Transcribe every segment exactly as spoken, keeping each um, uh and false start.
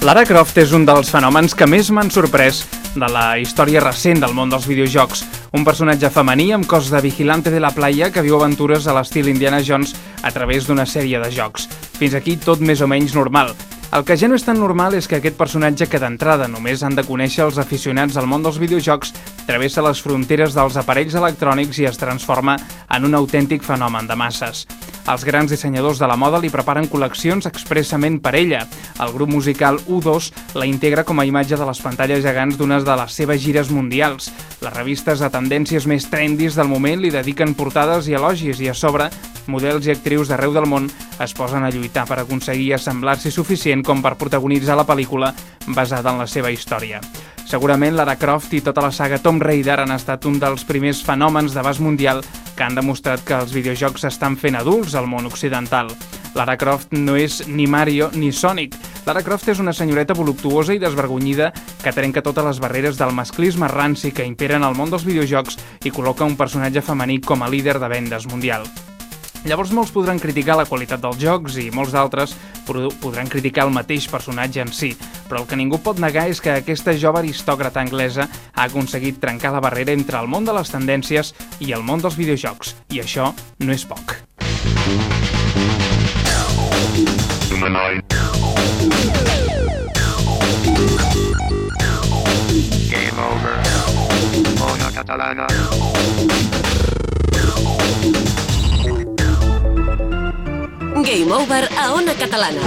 Lara Croft és un dels fenòmens que més m'han sorprès de la història recent del món dels videojocs. Un personatge femení amb cos de vigilante de la playa que viu aventures a l'estil Indiana Jones a través d'una sèrie de jocs. Fins aquí tot més o menys normal. El que ja no és tan normal és que aquest personatge, que d'entrada només han de conèixer els aficionats al món dels videojocs, travessa les fronteres dels aparells electrònics i es transforma en un autèntic fenomen de masses. Els grans dissenyadors de la moda li preparen col·leccions expressament per ella. El grup musical U dos la integra com a imatge de les pantalles gegants d'unes de les seves gires mundials. Les revistes de tendències més trendis del moment li dediquen portades i elogis i a sobre, models i actrius d'arreu del món es posen a lluitar per aconseguir assemblar-s'hi suficient com per protagonitzar la pel·lícula basada en la seva història. Segurament Lara Croft i tota la saga Tomb Raider han estat un dels primers fenòmens d'abast mundial que han demostrat que els videojocs s'estan fent adults al món occidental. Lara Croft no és ni Mario ni Sonic. Lara Croft és una senyoreta voluptuosa i desvergonyida que trenca totes les barreres del masclisme ranci que imperen al món dels videojocs i col·loca un personatge femení com a líder de vendes mundial. Llavors molts podran criticar la qualitat dels jocs i molts d'altres podran criticar el mateix personatge en si, però el que ningú pot negar és que aquesta jove aristòcrata anglesa ha aconseguit trencar la barrera entre el món de les tendències i el món dels videojocs, i això no és poc. Game over. Ona Catalana. Game Over a Ona Catalana.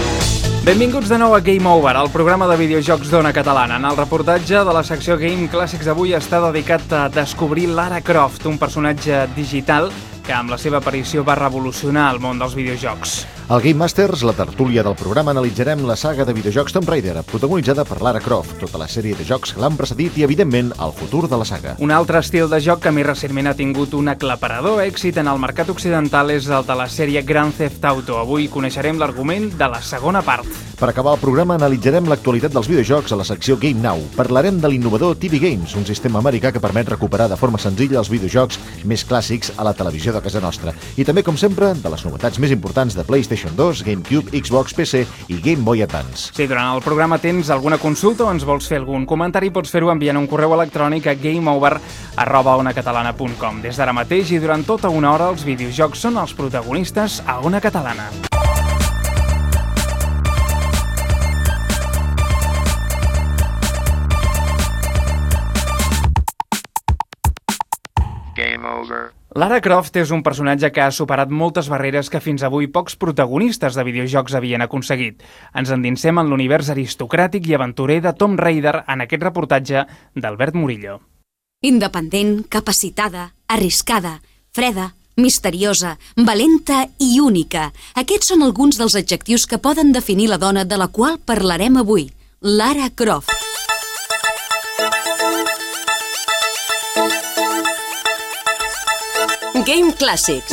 Benvinguts de nou a Game Over, el programa de videojocs d'Ona Catalana. En el reportatge de la secció Game Clàssics d'avui està dedicat a descobrir Lara Croft, un personatge digital que amb la seva aparició va revolucionar el món dels videojocs. Al Game Masters, la tertúlia del programa, analitzarem la saga de videojocs Tomb Raider, protagonitzada per Lara Croft, tota la sèrie de jocs que l'han precedit i, evidentment, el futur de la saga. Un altre estil de joc que més recentment ha tingut un aclaparador èxit en el mercat occidental és el de la sèrie Grand Theft Auto. Avui coneixerem l'argument de la segona part. Per acabar el programa, analitzarem l'actualitat dels videojocs a la secció Game Now. Parlarem de l'innovador T V Games, un sistema americà que permet recuperar de forma senzilla els videojocs més clàssics a la televisió de casa nostra. I també, com sempre, de les novetats més importants de PlayStation dos, GameCube, Xbox, P C i Game Boy Advance. Si durant el programa tens alguna consulta o ens vols fer algun comentari, pots fer-ho enviant un correu electrònic a gameover arroba onacatalana punt com. Des d'ara mateix i durant tota una hora, els videojocs són els protagonistes a Ona Catalana. Game over. Lara Croft és un personatge que ha superat moltes barreres que fins avui pocs protagonistes de videojocs havien aconseguit. Ens endinsem en l'univers aristocràtic i aventurer de Tomb Raider en aquest reportatge d'Albert Murillo. Independent, capacitada, arriscada, freda, misteriosa, valenta i única. Aquests són alguns dels adjectius que poden definir la dona de la qual parlarem avui, Lara Croft. Game Clàssics.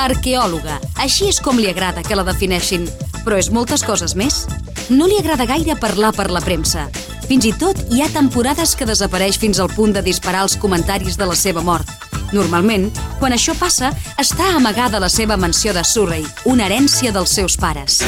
Arqueòloga. Així és com li agrada que la defineixin. Però és moltes coses més. No li agrada gaire parlar per la premsa. Fins i tot hi ha temporades que desapareix fins al punt de disparar els comentaris de la seva mort. Normalment, quan això passa, està amagada a la seva mansió de Surrey, una herència dels seus pares.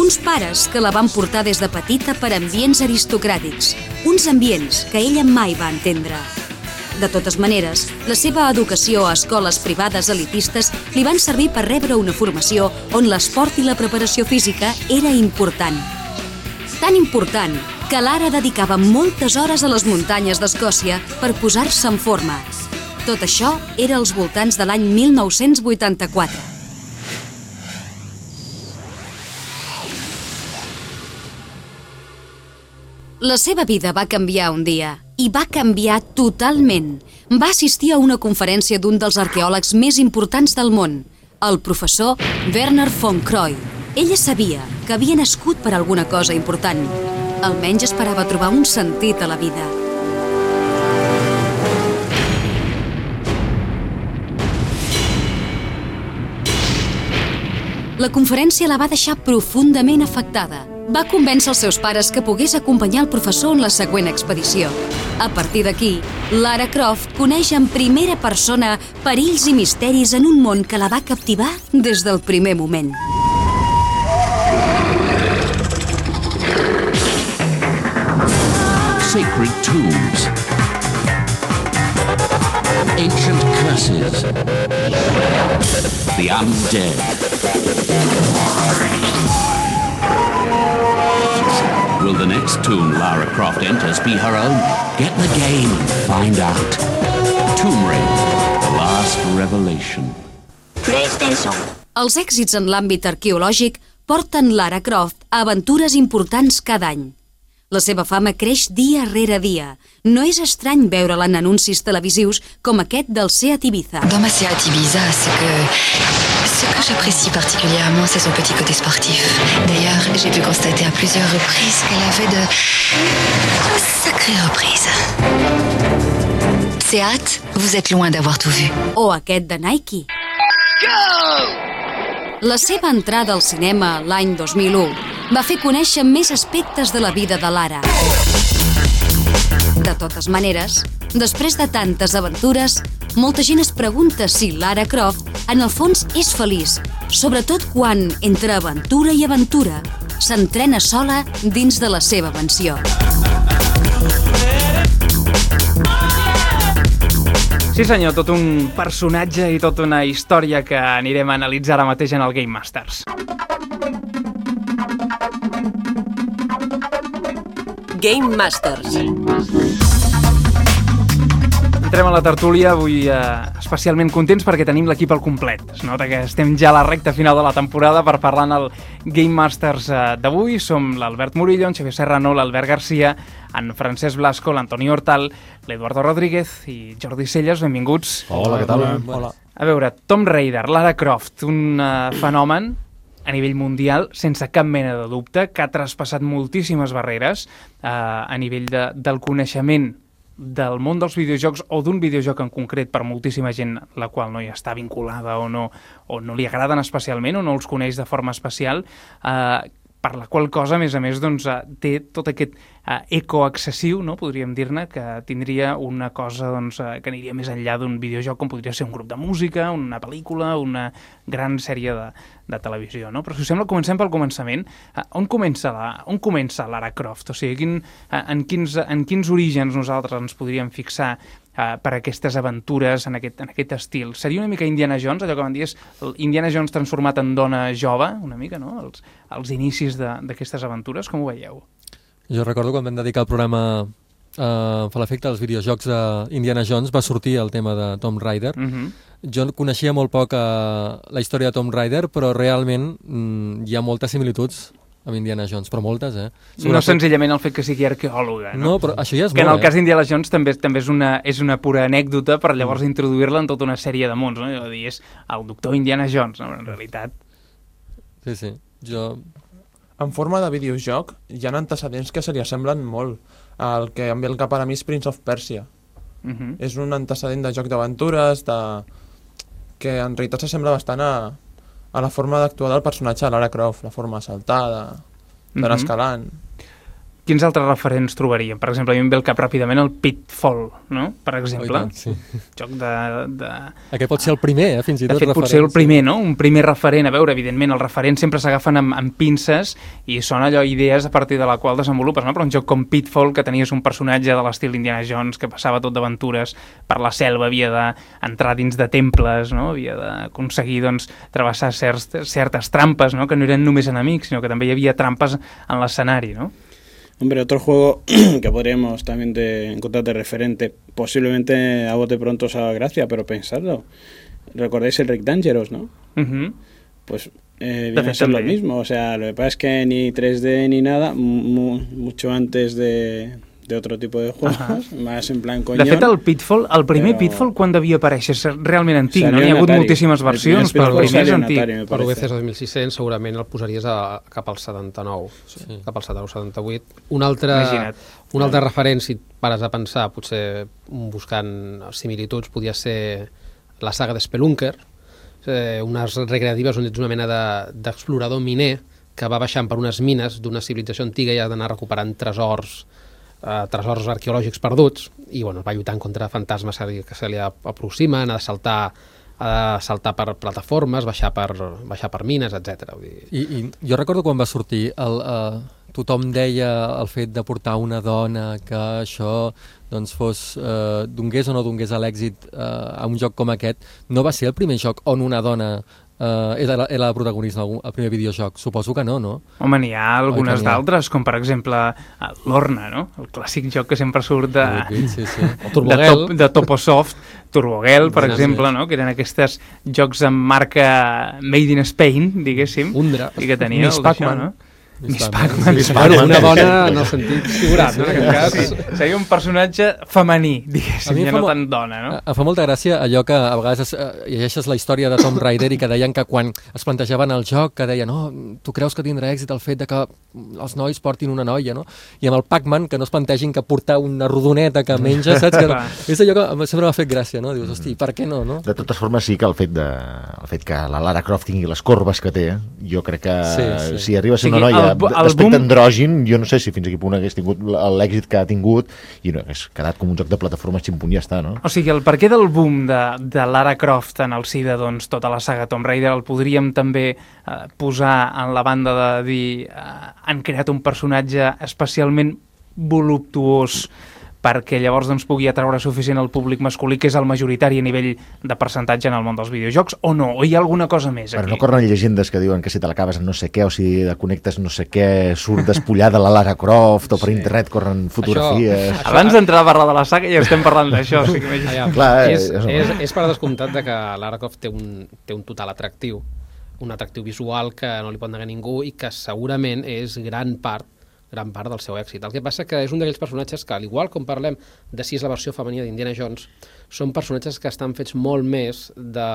Uns pares que la van portar des de petita per ambients aristocràtics, uns ambients que ella mai va entendre. De totes maneres, la seva educació a escoles privades elitistes li van servir per rebre una formació on l'esport i la preparació física era important. Tan important que Lara dedicava moltes hores a les muntanyes d'Escòcia per posar-se en forma. Tot això era als voltants de l'any mil nou-cents vuitanta-quatre. La seva vida va canviar un dia, i va canviar totalment. Va assistir a una conferència d'un dels arqueòlegs més importants del món, el professor Werner von Croy. Ella sabia que havia nascut per alguna cosa important. Almenys esperava trobar un sentit a la vida. La conferència la va deixar profundament afectada. va convèncer els seus pares que pogués acompanyar el professor en la següent expedició. A partir d'aquí, Lara Croft coneix en primera persona perills i misteris en un món que la va captivar des del primer moment. Sacred tombs, ancient curses, the undead. Will the next tomb Lara Croft enters be her own? Get the game and find out. Tomb Raider, the last revelation. PlayStation. Els èxits en l'àmbit arqueològic porten Lara Croft a aventures importants cada any. La seva fama creix dia rere dia. No és estrany veure-la en anuncis televisius com aquest del Seat Ibiza. Dans ma Seat Ibiza, ce que, ce que j'apprécie particulièrement, c'est son petit côté sportif. D'ailleurs, j'ai pu constater à plusieurs reprises qu'elle avait de, de sacrées reprises. Seat, vous êtes loin d'avoir tout vu. O aquest de Nike. La seva entrada al cinema l'any dos mil u va fer conèixer més aspectes de la vida de Lara. De totes maneres, després de tantes aventures, molta gent es pregunta si Lara Croft, en el fons, és feliç, sobretot quan, entre aventura i aventura, s'entrena sola dins de la seva mansió. Sí senyor, tot un personatge i tota una història que anirem a analitzar ara mateix en el Game Masters. Game Masters. Entrem a la tertúlia, avui eh, especialment contents perquè tenim l'equip al complet. Es nota que estem ja a la recta final de la temporada per parlar en el Game Masters eh, d'avui. Som l'Albert Murillo, en Xavier Serrano, l'Albert Garcia, en Francesc Blasco, l'Antoni Hortal, l'Eduardo Rodríguez i Jordi Celles. Benvinguts. Hola, què tal? Hola. A veure, Tomb Raider, Lara Croft, un uh, fenomen a nivell mundial, sense cap mena de dubte, que ha traspassat moltíssimes barreres uh, a nivell de, del coneixement del món dels videojocs o d'un videojoc en concret per moltíssima gent la qual no hi està vinculada o no, o no li agraden especialment o no els coneix de forma especial, eh, per la qual cosa, a més a més, doncs, té tot aquest eh, eco excessiu, no? Podríem dir-ne, que tindria una cosa doncs, eh, que aniria més enllà d'un videojoc com podria ser un grup de música, una pel·lícula, una gran sèrie de, de televisió, no? Però si us sembla, comencem pel començament. Eh, on comença la, on comença Lara Croft? O sigui, quin, eh, en, quins, en quins orígens nosaltres ens podríem fixar Uh, per aquestes aventures en aquest, en aquest estil? Seria una mica Indiana Jones, allò que van dir és Indiana Jones transformat en dona jove, una mica, no? Els, els inicis d'aquestes aventures, com ho veieu? Jo recordo quan vam dedicar el programa uh, per l'efecte dels videojocs d'Indiana Jones, va sortir el tema de Tomb Raider. Uh-huh. Jo coneixia molt poc uh, la història de Tomb Raider, però realment mm, hi ha moltes similituds amb Indiana Jones, però moltes, eh? Sobretot... No senzillament el fet que sigui arqueòloga, no? No, però això ja és que molt, en el cas eh? d'Indiana Jones també, també és, una, és una pura anècdota per llavors mm. introduir-la en tota una sèrie de mons, no? I dir, és el doctor Indiana Jones, no? En realitat. Sí, sí. Jo... En forma de videojoc hi ha antecedents que se li assemblen molt. El que em ve al cap ara mi és Prince of Persia. Uh-huh. És un antecedent de joc d'aventures, de... que en realitat s'assembla bastant a... a la forma d'actuar del personatge de Lara Croft, la forma saltada, d'anar Mhm. escalant. Quins altres referents trobaríem? Per exemple, a mi em ve al cap ràpidament el Pitfall, no? Per Oh, exemple. i tant, sí. Joc de... de... Aquest pot ser el primer, eh? Fins i De tot fet, potser el primer, no? Un primer referent. A veure, evidentment, els referents sempre s'agafen amb, amb pinces i són allò idees a partir de la qual desenvolupes, no? Però un joc com Pitfall, que tenies un personatge de l'estil Indiana Jones que passava tot d'aventures per la selva, havia d'entrar dins de temples, no? Havia d'aconseguir, doncs, travessar certs, certes trampes, no? Que no eren només enemics, sinó que també hi havia trampes en l'escenari, no? Hombre, otro juego que podríamos también de, encontrar de referente, posiblemente a bote pronto os haga gracia, pero pensadlo. ¿Recordáis el Rick Dangerous, no? Uh-huh. Pues eh, viene a ser lo también. mismo. O sea, lo que pasa es que ni tres D ni nada, mu mucho antes de, de otro tipo de juegos, Ajá. más en plan coñón. De fet, el Pitfall, el primer Però- Pitfall, quan devia aparèixer? És realment antic, Salió no? N'hi ha en hagut Atari. moltíssimes El versions, primer però el Pitfall primer és salió en antic. Atari, me Per U B C parece. dos mil sis-cents segurament el posaries a, cap al setanta-nou, Sí. cap al setanta-nou setanta-vuit. Un altre, Imagina't. un altre referent, si et pares a pensar, potser buscant similituds, podria ser la saga de Spelunker, eh, unes recreatives on ets una mena de- d'explorador miner que va baixant per unes mines d'una civilització antiga i ha d'anar recuperant tresors eh, tresors arqueològics perduts i bueno, va lluitant contra fantasmes que se li aproximen, ha de saltar ha de saltar per plataformes, baixar per, baixar per mines, etcètera. I, I jo recordo quan va sortir el, uh, tothom deia el fet de portar una dona que això doncs fos, uh, donés o no donés a l'èxit uh, a un joc com aquest. No va ser el primer joc on una dona Uh, era, la, era la protagonista al primer videojoc? Suposo que no, no? Home, n'hi ha algunes d'altres, com per exemple l'Orna, no? El clàssic joc que sempre surt de, sí, sí. de, top, de Toposoft, Turbogel, per sí, exemple, sí. No? Que eren aquests jocs amb marca Made in Spain, diguéssim, Undra. I que tenia Miss el d'això, no? Miss Pac-Man. Una dona no sentit figurat, no? En aquest cas. Sí, seria un personatge femení, diguéssim, ja no mo... tant dona, no? Em fa molta gràcia allò que a vegades es, uh, llegeixes la història de Tomb Raider i que deien que quan es plantejaven el joc, que deien, no, oh, tu creus que tindrà èxit el fet de que els nois portin una noia, no? I amb el Pac-Man que no es plantegin que portar una rodoneta que menja, saps? Que és allò que sempre m'ha fet gràcia, no? Dius, hosti, per què no, no? De totes formes, sí que el fet, de, el fet que la Lara Croft tingui les corbes que té, jo crec que sí, sí. si arriba a ser una noia d'aspecte andrògin, jo no sé si fins aquí punt hagués tingut l'èxit que ha tingut i no, hagués quedat com un joc de plataforma ximpunt i ja està, no? O sigui, el perquè del boom de, de Lara Croft en el si de doncs, tota la saga Tomb Raider el podríem també eh, posar en la banda de dir eh, han creat un personatge especialment voluptuós perquè llavors doncs, pugui atraure suficient al públic masculí, que és el majoritari a nivell de percentatge en el món dels videojocs, o no? O hi ha alguna cosa més aquí? Però no corren llegendes que diuen que si te l'acabes en no sé què, o si connectes no sé què, surt despullada la Lara Croft, o per sí. internet corren fotografies... Això, Abans d'entrar a parlar de la saga ja estem parlant d'això. O sigui que ja, Clar, és, és, és, és per descomptat de que Lara Croft té un, té un total atractiu, un atractiu visual que no li pot negar ningú i que segurament és gran part gran part del seu èxit. El que passa que és un d'aquells personatges que, al igual com parlem de si és la versió femenina d'Indiana Jones, són personatges que estan fets molt més de,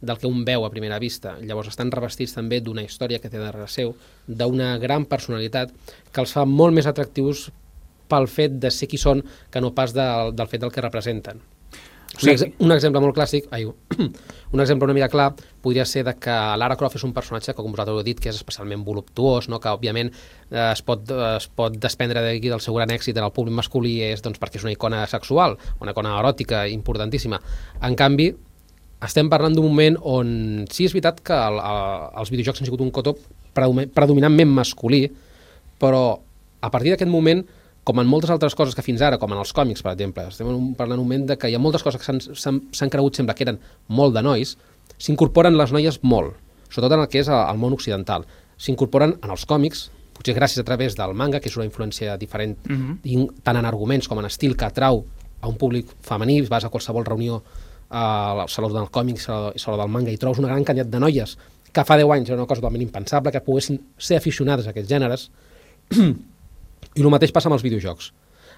del que un veu a primera vista. Llavors estan revestits també d'una història que té darrere seu, d'una gran personalitat que els fa molt més atractius pel fet de ser qui són que no pas del, del fet del que representen. Un, ex un exemple molt clàssic, ai, un exemple una mica clar, podria ser de que Lara Croft és un personatge que, com vosaltres heu dit, que és especialment voluptuós, no? Que òbviament eh, es, pot, es pot desprendre d'aquí del seu gran èxit en el públic masculí és, doncs, perquè és una icona sexual, una icona eròtica importantíssima. En canvi, estem parlant d'un moment on sí és veritat que el, el, els videojocs han sigut un cotó predominantment masculí, però a partir d'aquest moment, com en moltes altres coses que fins ara, com en els còmics, per exemple, estem parlant un moment de que hi ha moltes coses que s'han cregut, sembla que eren molt de nois, s'incorporen les noies molt, sobretot en el que és el món occidental. S'incorporen en els còmics, potser gràcies a través del manga, que és una influència diferent, uh-huh. tant en arguments com en estil, que atrau a un públic femení, vas a qualsevol reunió al saló del còmic, al saló del manga, i trobes una gran quantitat de noies que fa deu anys era una cosa totalment impensable, que poguessin ser aficionades a aquests gèneres. I el mateix passa amb els videojocs.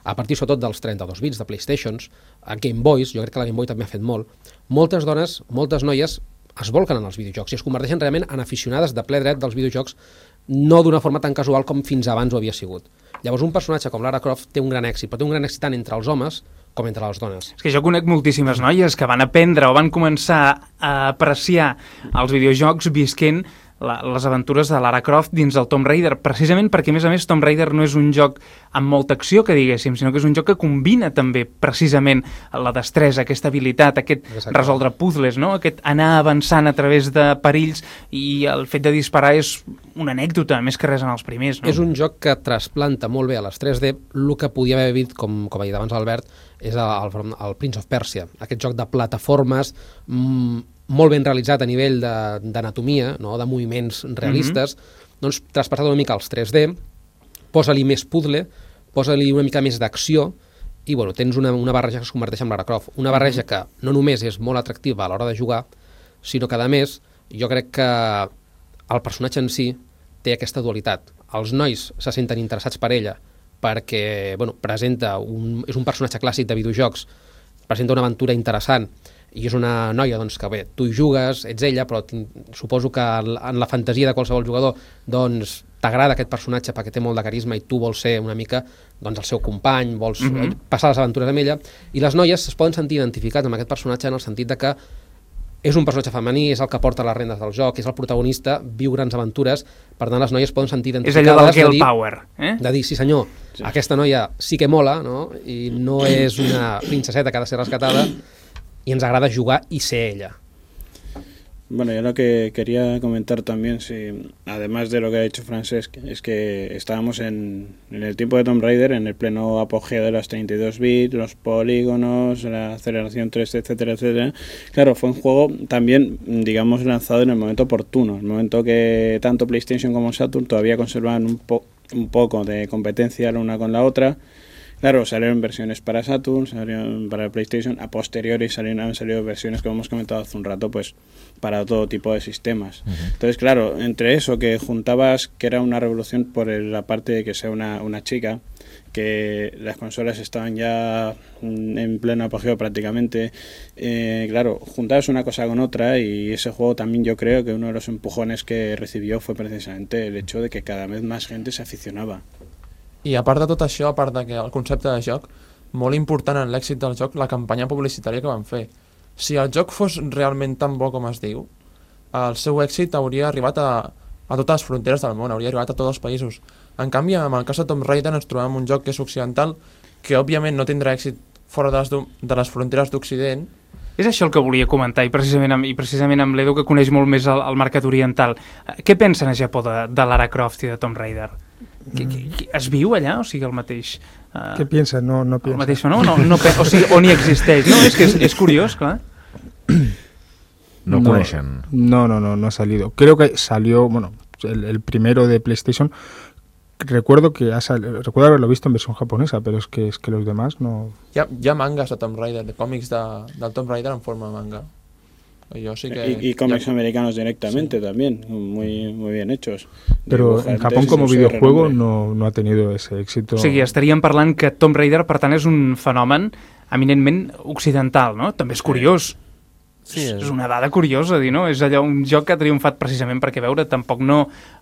A partir sobretot dels trenta-dos bits de PlayStations, a Game Boys, jo crec que la Game Boy també ha fet molt, moltes dones, moltes noies es volquen en els videojocs i es converteixen realment en aficionades de ple dret dels videojocs, no d'una forma tan casual com fins abans ho havia sigut. Llavors un personatge com Lara Croft té un gran èxit, però té un gran èxit tant entre els homes com entre les dones. És que jo conec moltíssimes noies que van aprendre o van començar a apreciar els videojocs visquent La, les aventures de Lara Croft dins del Tomb Raider, precisament perquè, a més a més, Tomb Raider no és un joc amb molta acció, que diguéssim, sinó que és un joc que combina també, precisament, la destresa, aquesta habilitat, aquest Exacte. resoldre puzzles, no? Aquest anar avançant a través de perills, i el fet de disparar és una anècdota, més que res en els primers, no? És un joc que trasplanta molt bé a les tres D, el que podia haver vist, com, com ha dit abans Albert, és el, el, el Prince of Persia, aquest joc de plataformes mmm, molt ben realitzat a nivell d'anatomia, no? De moviments realistes, mm-hmm. doncs traspassat una mica als tres D, posa-li més puzzle, posa-li una mica més d'acció, i bueno, tens una, una barreja que es converteix en Lara Croft. Una barreja que no només és molt atractiva a l'hora de jugar, sinó que, a més, jo crec que el personatge en si té aquesta dualitat. Els nois se senten interessats per ella perquè bueno, presenta un, és un personatge clàssic de videojocs, presenta una aventura interessant, i és una noia doncs, que bé, tu hi jugues, ets ella, però suposo que en la fantasia de qualsevol jugador doncs t'agrada aquest personatge perquè té molt de carisma i tu vols ser una mica doncs, el seu company, vols mm-hmm. passar les aventures amb ella, i les noies es poden sentir identificats amb aquest personatge en el sentit de que és un personatge femení, és el que porta les rendes del joc, és el protagonista, viu grans aventures, per tant les noies poden sentir identificades. És allò del girl de dir, power, eh? De dir, sí senyor, sí. Aquesta noia sí que mola, no? I no és una princeseta que ha de ser rescatada, y ens agrada jugar y ser ella. Bueno, yo lo que quería comentar también, si, además de lo que ha dicho Francesc, es que estábamos en, en el tiempo de Tomb Raider, en el pleno apogeo de las treinta y dos bits, los polígonos, la aceleración tres D, etcétera, etcétera. Claro, fue un juego también, digamos, lanzado en el momento oportuno, el momento que tanto PlayStation como Saturn todavía conservaban un, po un poco de competencia la una con la otra. Claro, salieron versiones para Saturn, salieron para PlayStation, a posteriori salieron, han salido versiones, como hemos comentado hace un rato, pues para todo tipo de sistemas. Uh-huh. Entonces, claro, entre eso que juntabas que era una revolución por el, la parte de que sea una, una chica, que las consolas estaban ya en pleno apogeo prácticamente, eh, claro, juntabas una cosa con otra y ese juego también yo creo que uno de los empujones que recibió fue precisamente el hecho de que cada vez más gente se aficionaba. I a part de tot això, a part de que el concepte de joc, molt important en l'èxit del joc, la campanya publicitària que van fer. Si el joc fos realment tan bo com es diu, el seu èxit hauria arribat a, a totes les fronteres del món, hauria arribat a tots els països. En canvi, amb el cas de Tomb Raider ens trobem un joc que és occidental, que òbviament no tindrà èxit fora de les, de les fronteres d'Occident. És això el que volia comentar, i precisament amb, i precisament amb l'Edu, que coneix molt més el, el mercat oriental. Què pensen a Japó de, de Lara Croft i de Tomb Raider? Que, que, que es viu allà? O sigui, el mateix... Uh, ¿Qué piensa? No, no piensa. El mateix, no? no, no o sigui, o ni existeix. No, és que és, és curiós, clar. No, no coneixen. No, no, no, no ha salido. Creo que salió, bueno, el, el primero de PlayStation. Recuerdo que ha sal... recuerdo haberlo visto en versión japonesa, pero es que es que los demás no. Hi ha, hi ha mangas de Tomb Raider, de còmics de, del Tomb Raider en forma de manga. Yo sí que y, y cómics ya... americanos directamente, sí. También, muy, muy bien hechos. Pero en Japón como videojuego no, no ha tenido ese éxito. O sigui, estaríem parlant que Tomb Raider, per tant, és un fenomen eminentment occidental, no? També és curiós. Sí, és... és una dada curiosa, dir, no? És allò, un joc que ha triomfat precisament perquè, veure, tampoc no...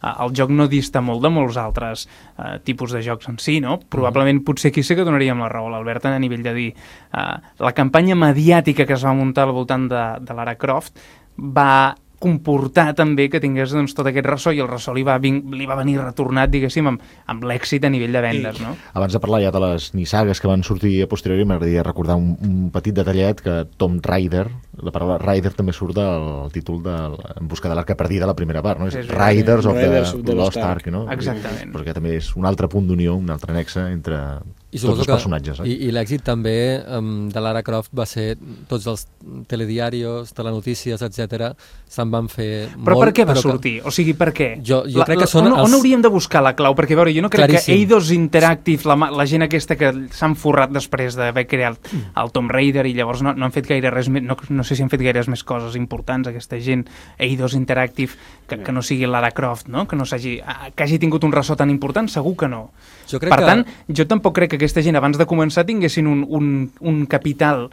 El joc no dista molt de molts altres uh, tipus de jocs en si, no? Probablement, potser aquí sí que donaríem la raó a l'Albert a nivell de dir uh, la campanya mediàtica que es va muntar al voltant de, de Lara Croft va comportar també que tingués doncs, tot aquest ressò, i el ressò li va, vin li va venir retornat, diguéssim, amb, amb l'èxit a nivell de vendes, no? Abans de parlar ja de les nissagues que van sortir a posteriori, m'agradaria recordar un, un petit detallet, que Tomb Raider, la paraula Raider també surt del títol de En busca de l'arca perdida, la primera part, no? És Riders of the, the Lost Ark, no? Exactament. Perquè també és un altre punt d'unió, un altre nexe entre I tots els personatges. Eh? I, i l'èxit també um, de Lara Croft va ser tots els telediarios, telenotícies, etcètera, se'n van fer però molt... Però per què va que... sortir? O sigui, per què? Jo, jo la, crec que la, són on, els... on hauríem de buscar la clau? Perquè, veure, jo no crec Claríssim. que Eidos Interactive, la, la gent aquesta que s'han forrat després d'haver creat el Tomb Raider i llavors no, no han fet gaire res més, no, no sé si han fet gaires més coses importants, aquesta gent, Eidos Interactive, que, que no sigui Lara Croft, no? Que no s'hagi que hagi tingut un ressò tan important, segur que no. Jo crec per que... tant, jo tampoc crec que aquesta gent, abans de començar, tinguessin un, un, un capital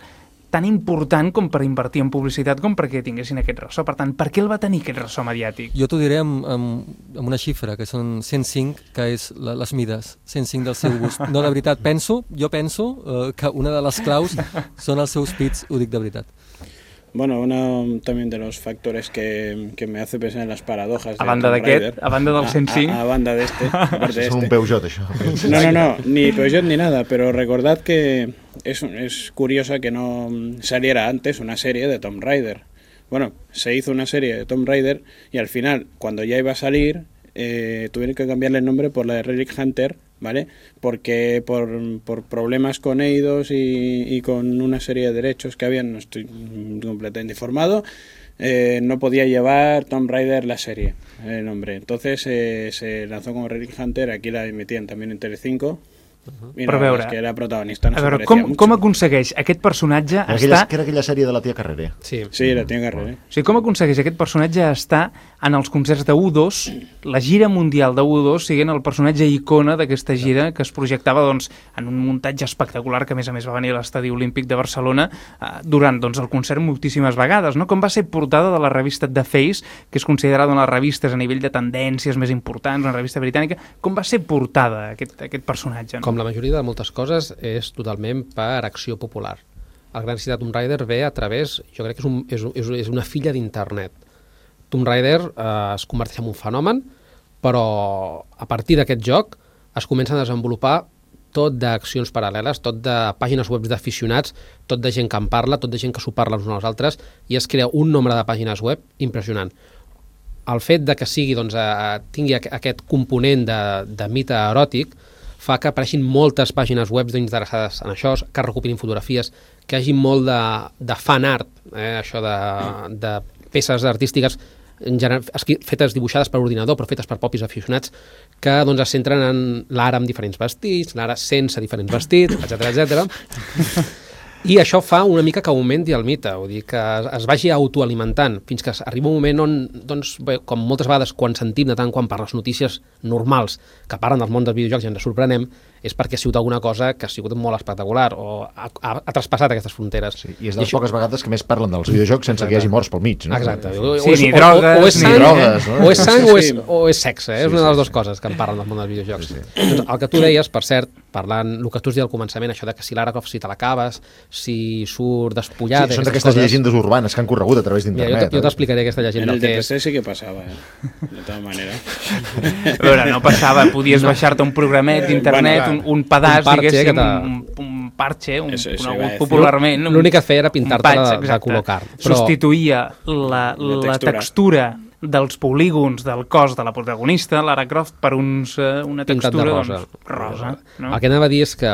tan important com per invertir en publicitat com perquè tinguessin aquest ressò. Per tant, per què el va tenir aquest ressò mediàtic? Jo t'ho diré amb, amb, amb una xifra, que són cent cinc, que és la, les mides, cent cinc del seu gust. No, de veritat, penso, jo penso eh, que una de les claus són els seus pits, ho dic de veritat. Bueno, uno también de los factores que, que me hace pensar en las paradojas a banda d'aquest, a banda del cent cinc, a, a, a banda de este, aparte de es este. un Peugeot, això. No, no, no, ni Peugeot ni nada, pero recordad que es, es curiosa que no saliera antes una serie de Tomb Raider. Bueno, se hizo una serie de Tomb Raider y al final, cuando ya iba a salir, eh, tuvieron que cambiarle el nombre por la de Relic Hunter, ¿vale? Porque por, por problemas con Eidos y, y con una serie de derechos que habían, no estoy completamente informado, eh, no podía llevar Tomb Raider la serie, el nombre. Entonces eh, se lanzó como Relic Hunter, aquí la emitían también en Telecinco. Uh-huh. I no, però a veure, és que era protagonista, no a veure se com, mucho. com aconsegueix aquest personatge aquella, estar... Que era aquella sèrie de la tia Carrere. Sí, sí la tia Carrere. O sigui, com aconsegueix aquest personatge estar en els concerts de U dos, la gira mundial de U dos, siguent el personatge icona d'aquesta gira que es projectava doncs, en un muntatge espectacular que a més a més va venir a l'Estadi Olímpic de Barcelona eh, durant doncs, el concert moltíssimes vegades, no? Com va ser portada de la revista The Face, que és considerada una de les revistes a nivell de tendències més importants, una revista britànica, com va ser portada aquest, aquest personatge? No? Com la majoria de moltes coses, és totalment per acció popular. el gran èxit de Tomb Raider ve a través, jo crec que és, un, és, és, és una filla d'internet. Tomb Raider eh, es converteix en un fenomen, però a partir d'aquest joc es comença a desenvolupar tot d'accions paral·leles, tot de pàgines web d'aficionats, tot de gent que en parla, tot de gent que s'ho parla els uns als altres, i es crea un nombre de pàgines web impressionant. El fet de que sigui, doncs, eh, tingui aquest component de, de mite eròtic fa que apareixin moltes pàgines web interessades en això, que recuperin fotografies, que hi hagi molt de, de fan art, eh, això de, de peces artístiques fetes, dibuixades per ordinador, però fetes per propis aficionats, que doncs, es centren en l'ara amb diferents vestits, l'ara sense diferents vestits, etcètera, etcètera. I això fa una mica que augmenti el mite, vull dir, que es vagi autoalimentant, fins que arriba un moment on, doncs, bé, com moltes vegades quan sentim de tant quan per les notícies normals que parlen del món dels videojocs i ens sorprenem, és perquè ha sigut alguna cosa que ha sigut molt espectacular o ha, ha, ha traspassat aquestes fronteres. Sí, i és de les poques vegades que més parlen dels videojocs sense que hi hagi morts pel mig, no? Exacte. Sí, o, sí, o, ni o, drogues, o, o és sang, ni drogues, no? O és sang o, és, Sí. o és sexe, eh? Sí, és una de les sí, dues sí. coses que en parlen del món dels videojocs. Sí, sí. Doncs el que tu deies, per cert, parlant, el que tu has dit al començament, això de que si Lara Croft si te l'acabes, si surt despullada... Sí, són d'aquestes llegendes urbanes que han corregut a través d'internet. Jo t'explicaré aquesta llegenda. En el D P C sí que passava, eh? De tota manera. A veure, no passava, podies baixar-te un programet d'internet, Bueno, un, un pedaç, un parche que diguéssim, te- un, un parche, un Eso- eso iba a conegut decir. popularment. un- L'únic que feia era pintar-te un patch, de- de exacte. color carn, però- Substituïa la, la, La textura. textura dels polígons del cos de la protagonista, Lara Croft, per uns, eh, una pintat de textura rosa. doncs, rosa no? El que anava a dir és que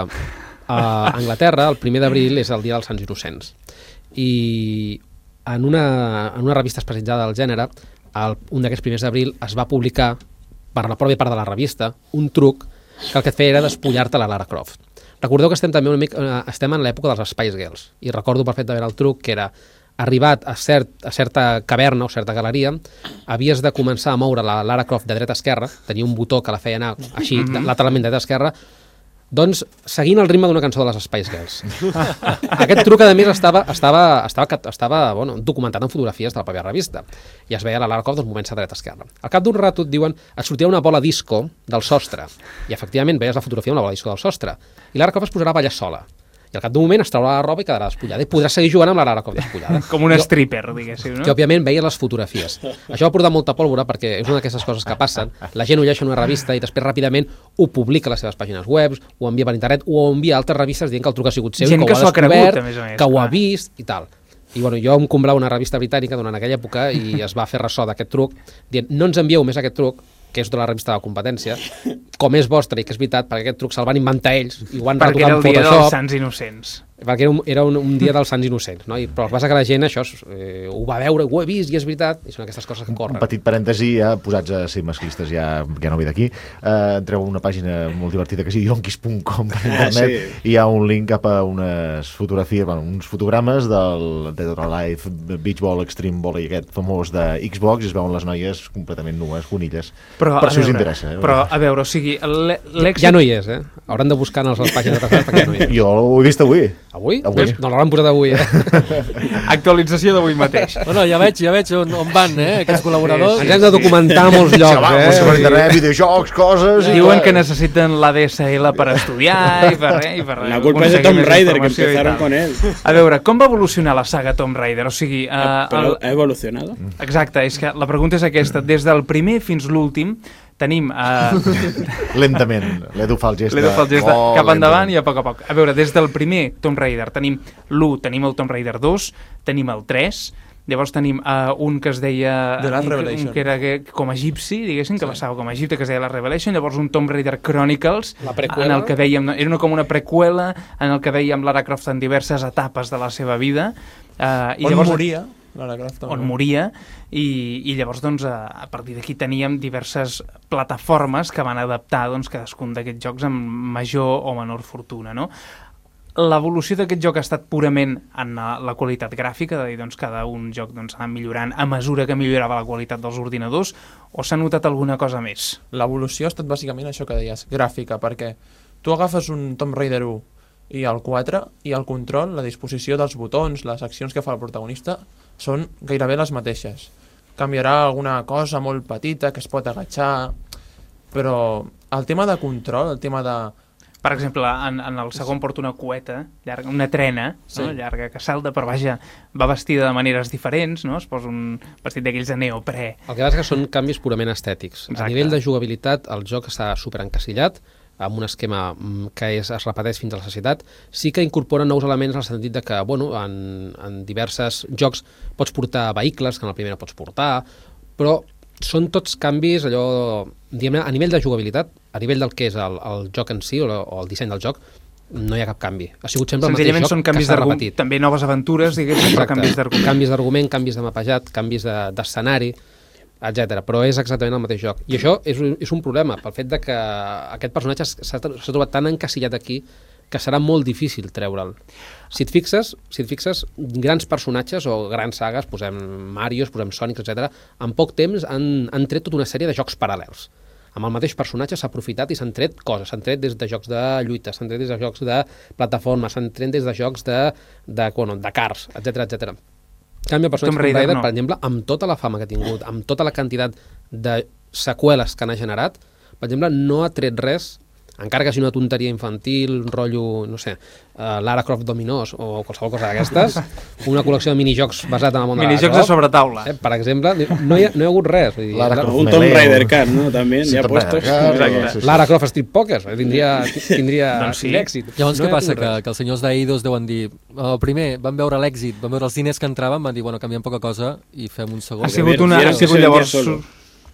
a Anglaterra el primer d'abril és el dia dels Sants Innocents i en una, en una revista especialitzada del gènere el, un d'aquests primers d'abril es va publicar per la pròpia part de la revista un truc que el que et feia era despullar-te la Lara Croft. Recordeu que estem també una mica, eh, estem en l'època dels Spice Girls i recordo perfectament el truc que era arribat a, cert, a certa caverna o certa galeria, havies de començar a moure la Lara Croft de dreta a esquerra, tenia un botó que la feia anar així, Mhm. lateralment de dreta a esquerra, doncs seguint el ritme d'una cançó de les Spice Girls. Aquest truc, a més, estava, estava, estava, estava bueno, documentat en fotografies de la pròpia revista i es veia la Lara Croft dels moments a dreta a esquerra. Al cap d'un rato et diuen, et sortia una bola disco del sostre i efectivament veies la fotografia amb la bola disco del sostre i Lara Croft es posarà a ballar sola. I al cap d'un moment es traurà la roba i quedarà despullada i podrà seguir jugant amb la Lara Croft despullada. Com un Jo- stripper, diguéssim, no? que òbviament veia les fotografies. Això va portar molta pólvora perquè és una d'aquestes coses que passen. La gent ho llegeix en una revista i després ràpidament ho publica a les seves pàgines web, ho envia per internet, o ho envia a altres revistes dient que el truc ha sigut seu, Gent que, que ho s'ho ha ha cregut, descobert, a més a més, que ho ha clar. vist i tal. I bueno, jo em comprava una revista britànica durant aquella època i es va fer ressò d'aquest truc dient no ens envieu més aquest truc que és de la revista de la competència, com és vostre i que és veritat, perquè aquest truc se'l van inventar ells i ho han Perquè retocat era en el dia dels Photoshop. Sants Innocents. Perquè era un, era un, un dia dels Sants Innocents, no? I, però el que passa que la gent això eh, ho va veure, ho he vist i és veritat, i són aquestes coses que corren. Un petit parèntesi, ja posats a ser masclistes, ja, ja no ve d'aquí. Uh, entreu a una pàgina molt divertida que es diu yonkis punt com per internet Ah, sí. i hi ha un link cap a unes fotografies, bueno, uns fotogrames del Dead or Alive Beach Ball Extreme Volley, aquest famós de Xbox, i es veuen les noies completament nues, conilles. Però, per a si us veure, interessa. Eh? Però, a veure, o sigui, l'e- l'èxit... Ja no hi és, eh? Hauran de buscar en les pàgines de perquè ja no hi és. Jo ho he vist avui. Avui? Avui. Pues no l'hauran posat avui, eh? Actualització d'avui mateix. Bueno, ja veig, ja veig on, on van, eh, aquests col·laboradors. Ens hem de documentar a molts Sí, llocs, va, eh? per internet, videojocs, coses... i Diuen tal. que necessiten l'A D S L per estudiar i per, i per La culpa és de aconseguir Tomb més Raider, que informació i empezaron tal. con él. A veure, com va evolucionar la saga Tomb Raider? O sigui, uh, Pero ha evolucionado. exacte, és que la pregunta és aquesta. Des del primer fins l'últim tenim... Uh, Lentament, l'Edu fa el gest L'Edu fa el gest de Oh, cap endavant lentament. i a poc a poc. A veure, des del primer Tomb Raider tenim l'u, tenim el Tomb Raider dos, tenim el tres, llavors tenim uh, un que es deia... The Last un, que- Revelation. un que era que, com a egipci, diguéssim, que sí. passava com a Egipte, que es deia la Revelation, llavors un Tomb Raider Chronicles, La preqüela. en el que veiem, era una, com una preqüela, en el que veiem Lara Croft en diverses etapes de la seva vida. Uh, i On llavors, moria Lara Croft. també. on moria, i, i llavors doncs, a, a partir d'aquí teníem diverses plataformes que van adaptar doncs, cadascun d'aquests jocs amb major o menor fortuna, no? L'evolució d'aquest joc ha estat purament en la, la qualitat gràfica, de dir, doncs, cada un joc doncs, ha anat millorant a mesura que millorava la qualitat dels ordinadors, o s'ha notat alguna cosa més? L'evolució ha estat bàsicament això que deies, gràfica, perquè tu agafes un Tomb Raider u i el quatre, i el control, la disposició dels botons, les accions que fa el protagonista, són gairebé les mateixes. Canviarà alguna cosa molt petita que es pot agatxar, però el tema de control, el tema de Per exemple, en, en el segon porta una cueta, llarga, una trena, sí. no? llarga, que salta, però vaja, va vestida de maneres diferents, no? Es posa un vestit d'aquells de neoprè. El que passa és que són canvis purament estètics. Exacte. A nivell de jugabilitat, el joc està superencasillat, amb un esquema que és, es repeteix fins a la sacietat. Sí que incorpora nous elements en el sentit de que, bueno, en, en diversos jocs pots portar vehicles, que en el primer no pots portar, però són tots canvis, allò, diguem-ne, a nivell de jugabilitat, a nivell del que és el, el joc en si o, o el disseny del joc, no hi ha cap canvi. Ha sigut sempre el mateix joc són canvis que s'ha repetit. També noves aventures, diguéssim, però canvis d'argument. Canvis d'argument, canvis de mapejat, canvis d'escenari, etcètera. Però és exactament el mateix joc. I això és, és un problema, pel fet de que aquest personatge s'ha trobat tan encasillat aquí que serà molt difícil treure'l. Si et fixes, si et fixes, grans personatges o grans sagues, posem Marios, posem Sonic, etcètera, en poc temps han, han tret tota una sèrie de jocs paral·lels. Amb el mateix personatge s'ha aprofitat i s'han tret coses, s'han tret des de jocs de lluita, s'han tret des de jocs de plataforma, s'han tret des de jocs de, de, bueno, de cars, etcètera, etcètera. En canvi, el personatge Tomb Raider, no. per exemple, amb tota la fama que ha tingut, amb tota la quantitat de seqüeles que n'ha generat, per exemple, no ha tret res, encara que sigui una tonteria infantil, un rotllo, no sé, uh, Lara Croft Dominós o qualsevol cosa d'aquestes, una col·lecció de minijocs basat en el món de minijocs de sobretaula. Eh, per exemple, no hi ha, no hi ha hagut res. Vull dir, Lara Croft un Tomb Raider Cat, no? També, sí, ja postos. Sí, Lara Croft Street Poker, tindria, tindria doncs sí. èxit. Llavors, no què passa? Que, que els senyors d'Eidos deuen dir, oh, primer, van veure l'èxit, van veure els diners que entraven, van dir, bueno, canviem poca cosa i fem un segon. Ha sigut una... Ha sigut llavors...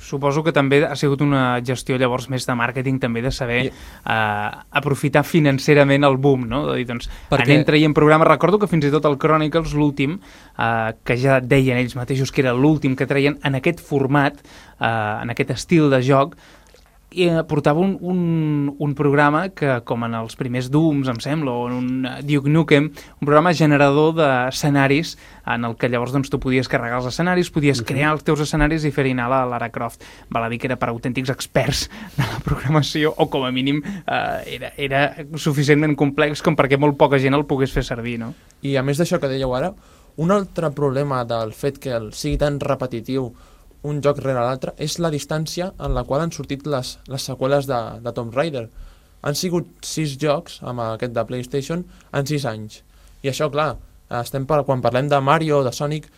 Suposo que també ha sigut una gestió llavors més de màrqueting, també de saber I... uh, aprofitar financerament el boom, no? De dir, doncs, Perquè... anem traient programes. Recordo que fins i tot el Chronicles, l'últim, uh, que ja deien ells mateixos que era l'últim que traien en aquest format, uh, en aquest estil de joc, i portava un, un, un programa que, com en els primers Dooms, em sembla, o en un Duke Nukem, un programa generador d'escenaris en el que llavors doncs, tu podies carregar els escenaris, podies uh-huh. crear els teus escenaris i fer-hi anar la Lara Croft. Val a dir que era per autèntics experts de la programació, o com a mínim eh, era, era suficientment complex com perquè molt poca gent el pogués fer servir, no? I a més d'això que dèieu ara, un altre problema del fet que el sigui tan repetitiu un joc rere l'altre, és la distància en la qual han sortit les, les seqüeles de, de Tomb Raider. Han sigut sis jocs, amb aquest de PlayStation, en sis anys. I això, clar, estem per, quan parlem de Mario o de Sonic,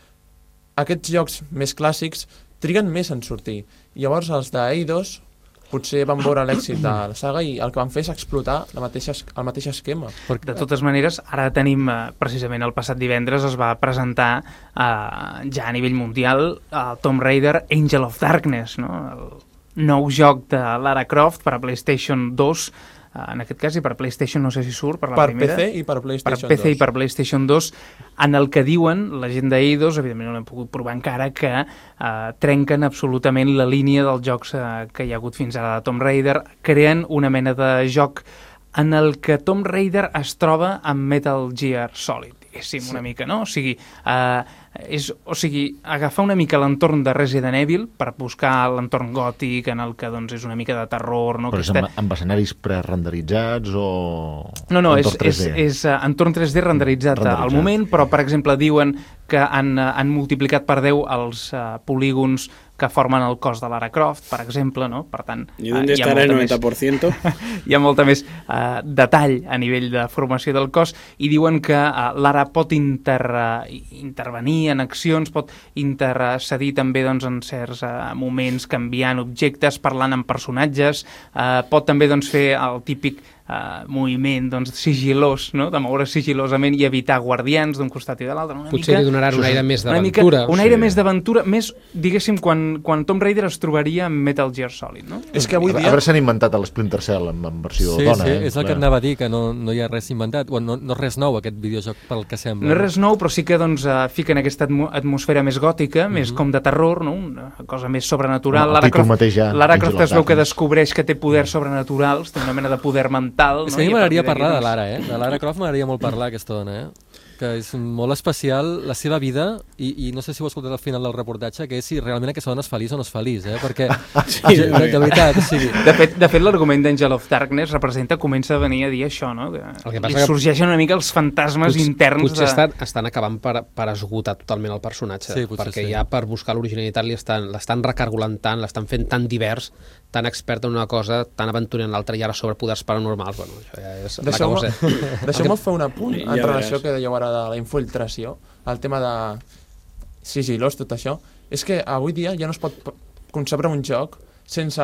aquests jocs més clàssics triguen més en sortir. I llavors els d'Eidos potser van veure l'èxit de la saga i el que van fer és explotar la mateixa, el mateix esquema. De totes maneres, ara tenim, eh, precisament el passat divendres es va presentar eh, ja a nivell mundial el Tomb Raider Angel of Darkness, no? El nou joc de Lara Croft per a PlayStation dos, eh, en aquest cas, i per PlayStation no sé si surt, per la per primera. Per P C i per PlayStation per P C dos. I per PlayStation dos, en el que diuen, la gent d'Eidos, evidentment no l'hem pogut provar encara, que eh, trenquen absolutament la línia dels jocs eh, que hi ha hagut fins ara de Tomb Raider, creen una mena de joc en el que Tomb Raider es troba amb Metal Gear Solid, diguéssim, sí. una mica, no? O sigui, eh, és, o sigui, agafar una mica l'entorn de Resident Evil per buscar l'entorn gòtic en el que doncs, és una mica de terror, no? Però és amb, amb escenaris prerenderitzats o... No, no, és, és, és uh, entorn tres D renderitzat, renderitzat al moment, però per exemple diuen que han, uh, han multiplicat per deu els uh, polígons que formen el cos de Lara Croft, per exemple, no? Per tant, ¿y dónde uh, estarà el noventa per cent? Hi ha molta més uh, detall a nivell de formació del cos i diuen que uh, Lara pot inter, uh, intervenir en accions, pot intercedir també doncs, en certs uh, moments canviant objectes, parlant amb personatges, uh, pot també doncs, fer el típic Uh, moviment doncs, sigilós, no? De moure sigilosament i evitar guardians d'un costat i de l'altre. Potser mica, li donaran un aire més d'aventura. Un aire sí. més d'aventura, més, diguéssim, quan, quan Tomb Raider es trobaria amb Metal Gear Solid, no? És que avui dia... A veure, s'han inventat el Splinter Cell en, en versió sí, dona. Sí, eh? és el que et anava a dir, que no, no hi ha res inventat. Bueno, no, no és res nou, aquest videojoc, pel que sembla. No és res nou, però sí que doncs, uh, fiquen aquesta atmo atmosfera més gòtica, mm-hmm. més com de terror, no? Una cosa més sobrenatural. No, Lara Croft, ja, Lara Croft es veu que descobreix que té poders sobrenaturals, té una mena de poder mental. És no? que a mi m'agradaria parlar de Lara, eh? De Lara Croft m'agradaria molt parlar, aquesta dona, eh? que és molt especial la seva vida, i, i no sé si ho heu escoltat al final del reportatge, que és si realment aquesta dona és feliç o no és feliç, eh? Perquè, sí, de, de, de veritat, o sigui... De fet, de fet l'argument d'Angel of Darkness representa, comença a venir a dir això, no? Que El que li passa sorgeixen una mica els fantasmes potser, interns potser de... estan, estan acabant per, per esgotar totalment el personatge, Sí, potser perquè sí. ja per buscar l'originalitat li estan- l'estan recargolant tant, l'estan fent tan divers, tan expert en una cosa, tan aventurer en l'altra, i ara sobre poders paranormals. Bueno, això ja és Deixeu-me l'acabose. deixeu fer un apunt Ja en relació veràs. que dèieu ara de la infiltració, el tema de sigilós, tot això. És que avui dia ja no es pot p- concebre un joc sense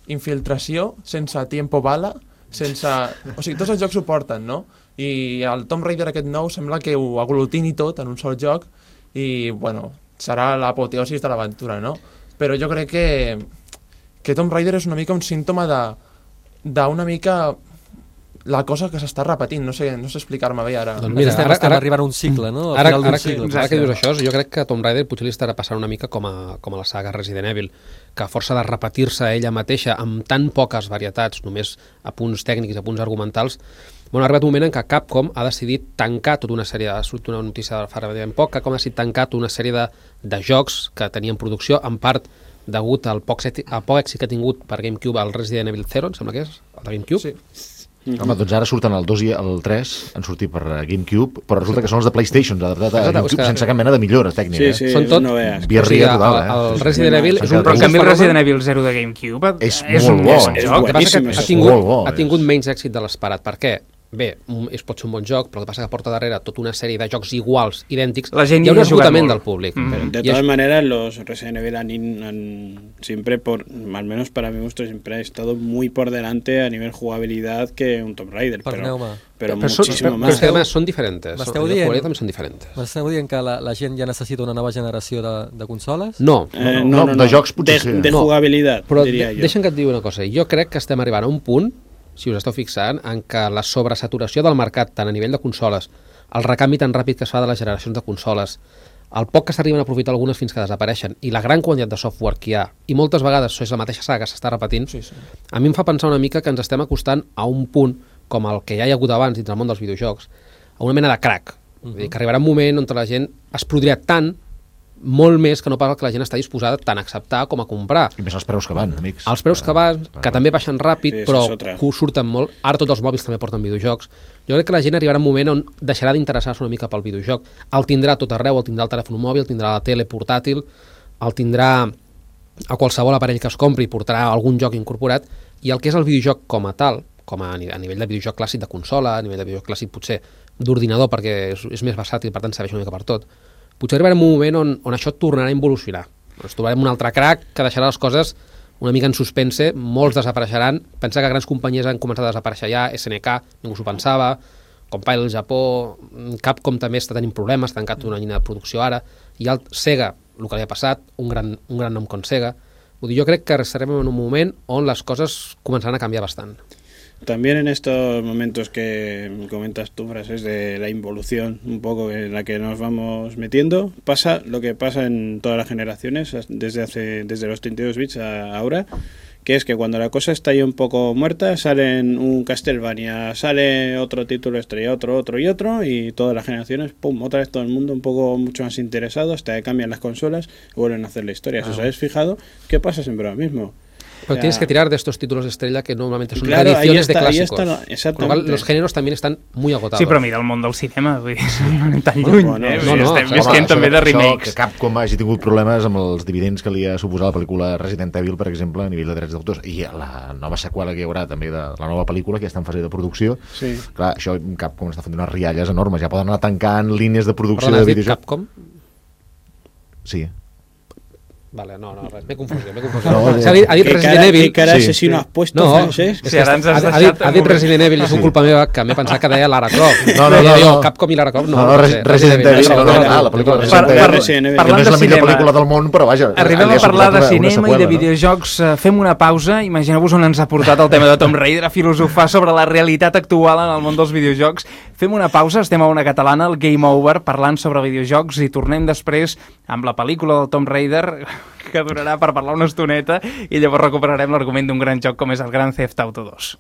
infiltració, sense tiempo bala, sense... O sigui, tots els jocs ho porten, no? I el Tomb Raider aquest nou sembla que ho aglutini tot en un sol joc i, bueno, serà l'apoteosis de l'aventura, no? Però jo crec que que Tomb Raider és una mica un símptoma de d'una mica la cosa que s'està repetint, no sé, no sé explicar-me bé ara. Doncs mira, estem, ara- estem ara- arribant a un cicle, no? Al Ara, final d'un ara, que, cicle. ara que dius això, jo crec que Tomb Raider potser li estarà passant una mica com a, com a la saga Resident Evil, que a força de repetir-se ella mateixa amb tan poques varietats, només a punts tècnics, a punts argumentals, bueno, ha arribat un moment en què Capcom ha decidit tancar tota una sèrie, ha sortit una notícia fa ben poc, Capcom ha decidit tancar tota una sèrie de, de jocs que tenien producció, en part degut al poc, set, al poc èxit que ha tingut per GameCube el Resident Evil Zero, em sembla que és, el de GameCube. Sí. Home, doncs ara surten el dos i el tres, han sortit per GameCube, però resulta que són els de PlayStation, adaptat a Exacte, GameCube, és que- sense cap mena de millora tècnica. Sí, sí, Són tot- no veas. Birria o sigui, total, el, eh? el Resident Evil és un Però en canvi el fenòmen- Resident Evil Zero de GameCube És és molt un bo. bon És joc. El que passa que boníssim, ha és tingut, molt bo, ha és. tingut menys èxit de l'esperat. Per què? Bé, un- és, pot ser un bon joc, però el que passa que porta darrere tota una sèrie de jocs iguals, idèntics. La gent hi ha un hi ha jugat esgotament molt. del públic. Mm. Pero de I todas això- maneras, los Resident Evil han, in- han siempre, por, al menos para mi gusto, siempre ha estado muy por delante a nivel jugabilidad que un Tomb Raider. Pero, Perdoneu-me. pero Però, són, muchísimo però, però más. és que además són diferents. M'esteu Són, dient- jugabilitat també són diferents. M'esteu dient que la, la gent ja necessita una nova generació de, de consoles? No, Eh, no, de jocs potser de, sí. de No, jugabilidad, però diria de, jo. deixa'm que et digui una cosa. Jo crec que estem arribant a un punt, si us esteu fixant, en què la sobresaturació del mercat, tant a nivell de consoles, el recanvi tan ràpid que es fa de les generacions de consoles, el poc que s'arriben a aprofitar algunes fins que desapareixen, i la gran quantitat de software que hi ha, i moltes vegades és la mateixa saga que s'està repetint, Sí, sí. a mi em fa pensar una mica que ens estem acostant a un punt, com el que ja hi ha hagut abans dins del món dels videojocs, a una mena de crack. Uh -huh. Vull dir, que arribarà un moment on la gent es podria tant, molt més que no pas el que la gent està disposada tant a acceptar com a comprar. I més els preus que van, amics. Els preus que van, que també baixen ràpid, Sí, això però és otra. que surten molt. Ara tots els mòbils també porten videojocs. Jo crec que la gent arribarà un moment on deixarà d'interessar-se una mica pel videojoc. El tindrà a tot arreu, el tindrà al telèfon mòbil, el tindrà a la tele portàtil, el tindrà a qualsevol aparell que es compri i portarà algun joc incorporat, i el que és el videojoc com a tal, com a, a nivell de videojoc clàssic de consola, a nivell de videojoc clàssic potser d'ordinador, perquè és, és més versàtil, per tant serveix una mica per tot, potser arribarem un moment on, on això tornarà a involucionar. Ens trobarem un altre crack que deixarà les coses una mica en suspense, molts desapareixeran. Pensa que grans companyies han començat a desaparèixer ja, S N K, ningú s'ho pensava, Compile al Japó, Capcom també està tenint problemes, ha tancat una línia de producció ara, i el Sega, el que li ha passat, un gran, un gran nom com Sega. Vull dir, jo crec que estarem en un moment on les coses començaran a canviar bastant. También en estos momentos que comentas tú, frases de la involución un poco en la que nos vamos metiendo, pasa lo que pasa en todas las generaciones, desde hace desde los treinta y dos bits a ahora, que es que cuando la cosa está ya un poco muerta, salen un Castlevania, sale otro título estrella, otro, otro y otro, y todas las generaciones, pum, otra vez todo el mundo un poco mucho más interesado, hasta que cambian las consolas y vuelven a hacer la historia. Si os habéis fijado, ¿qué pasa siempre lo mismo? Pero O sea, tienes que tirar de estos títulos de estrella que normalmente son Claro, ahí reediciones de está- ahí clásicos. está la- Con lo cual, exactamente. los géneros también están muy agotados. Sí, però mira, el món del cinema, vull dir, no anem tan lluny, Bueno, eh? no, Vull dir, no, estem home, visquent això- també de això remakes. que Capcom hagi tingut problemes amb els dividends que li ha suposat la pel·lícula Resident Evil, per exemple, a nivell de drets d'autors, i la nova seqüela que hi haurà també de la nova pel·lícula, que ja està en fase de producció. Sí. Clar, això Capcom està fent unes rialles enormes, ja poden anar tancant línies de producció Perdona, de has dit videojocs. Capcom? Sí. Vale, no, no, res, m'he confós, m'he confós. No, O sigui, ha dit, ha dit ¿Qué Resident cara, Evil... qué cara Sí. asesino has puesto, No, Francesc? Sí, ara ens has ha, ha, dit, deixat ha dit amb- Resident Evil, és un culpa meva, que m'he pensat que deia Lara Croft. No, no, no, Jo, no. Capcom i Lara Croft, no. No, no, no Res- sé, Resident Evil, no, no, no, no, no, la pel·lícula no, Resident no, Evil. no, Resident Evil. Que no Parlant és de la millor cinema. pel·lícula del món, però vaja... Arribem li ha a parlar suposat de una- una cinema i seqüela, de no? videojocs. Eh, Fem una pausa. Imagineu-vos on ens ha portat el tema de Tomb Raider, a filosofar sobre la realitat actual en el món dels videojocs. Fem una pausa, estem a una catalana, el Game Over, parlant sobre videojocs, i tornem després amb la pel·lícula del Tomb Raider, que durarà per parlar una estoneta, i llavors recuperarem l'argument d'un gran joc com és el Grand Theft Auto dos.